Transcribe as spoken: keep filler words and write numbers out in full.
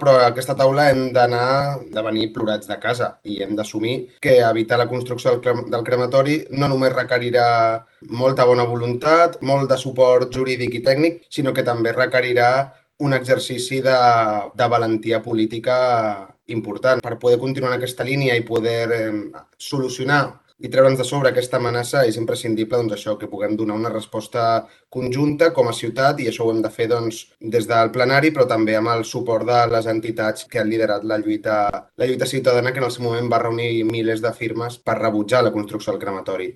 però a aquesta taula hem d'anar de venir plorats de casa i hem d'assumir que evitar la construcció del, crem del crematori no només requerirà molta bona voluntat, molt de suport jurídic i tècnic, sinó que també requerirà un exercici de, de valentia política important. Per poder continuar en aquesta línia i poder eh, solucionar i treure'ns de sobre aquesta amenaça és imprescindible doncs, això, que puguem donar una resposta conjunta com a ciutat, i això ho hem de fer doncs, des del plenari, però també amb el suport de les entitats que han liderat la lluita, la lluita ciutadana, que en el seu moment va reunir milers de firmes per rebutjar la construcció del crematori.